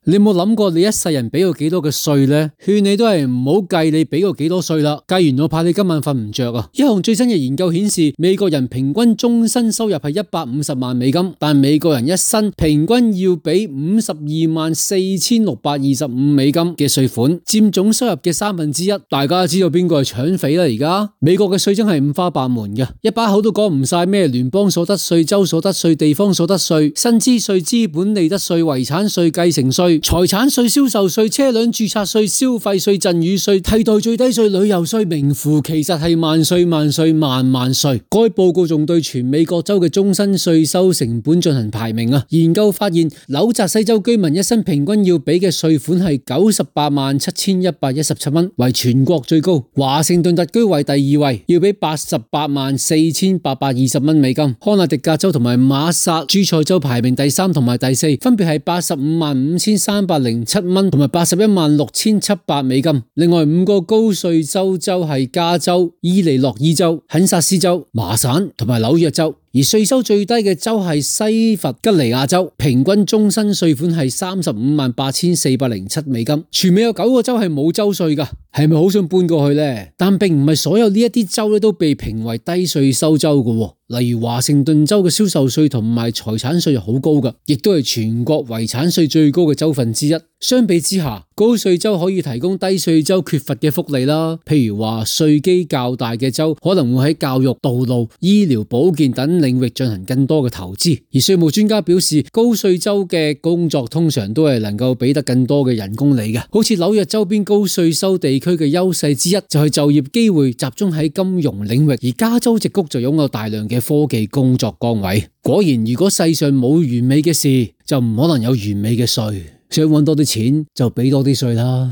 你有冇諗過你一世人俾過幾多嘅稅呢？勸你都係唔好計你俾過幾多稅啦，計完我怕你今晚瞓唔着啊！一項最新嘅研究顯示，美國人平均終身收入係150萬美金，但美國人一生平均要俾524625美金嘅稅款，佔總收入嘅1/3。大家知道邊個係搶匪啦？而家美國嘅稅真係五花八門嘅，一把口都講唔晒咩聯邦所得稅、州所得稅、地方所得稅、薪資稅、資本利得稅、遺產稅、繼承稅、財產稅、銷售稅、車輛註冊稅、消費稅、贈與稅、替代最低稅、旅遊稅，名副其實係萬稅萬稅萬萬稅。該報告仲對全美各州嘅終身稅收成本進行排名啊！研究發現，紐澤西州居民一生平均要俾嘅稅款係987117蚊，為全國最高。華盛頓特區為第2位，要俾884820美金。康納迪格州同埋馬薩諸塞州排名第3同埋第4，分別係855307蚊同埋816700美金。另外5個高稅州係加州、伊利諾伊州、肯薩斯州、麻省同埋紐約州。而稅收最低嘅州係西弗吉尼亞州，平均終身稅款係358407美金。全美有9個州係冇州稅㗎，係咪好想搬過去呢？但並唔係所有呢一啲州都被評為低稅收州㗎。例如華盛頓州嘅銷售稅同埋財產稅係好高㗎，亦都係全國遺產稅最高嘅州份之一。相比之下，高稅州可以提供低稅州缺乏嘅福利啦，譬如話稅基較大嘅州可能會喺教育、道路、醫療、保健等領域進行更多嘅投資。而稅務專家表示，高稅州嘅工作通常都係能夠俾得更多嘅人工你嘅。好似紐約周邊高稅收地區嘅優勢之一就係就業機會集中喺金融領域，而加州矽谷就擁有大量嘅科技工作崗位。果然，如果世上冇完美嘅事，就唔可能有完美嘅稅。想搵多啲錢就俾多啲稅啦。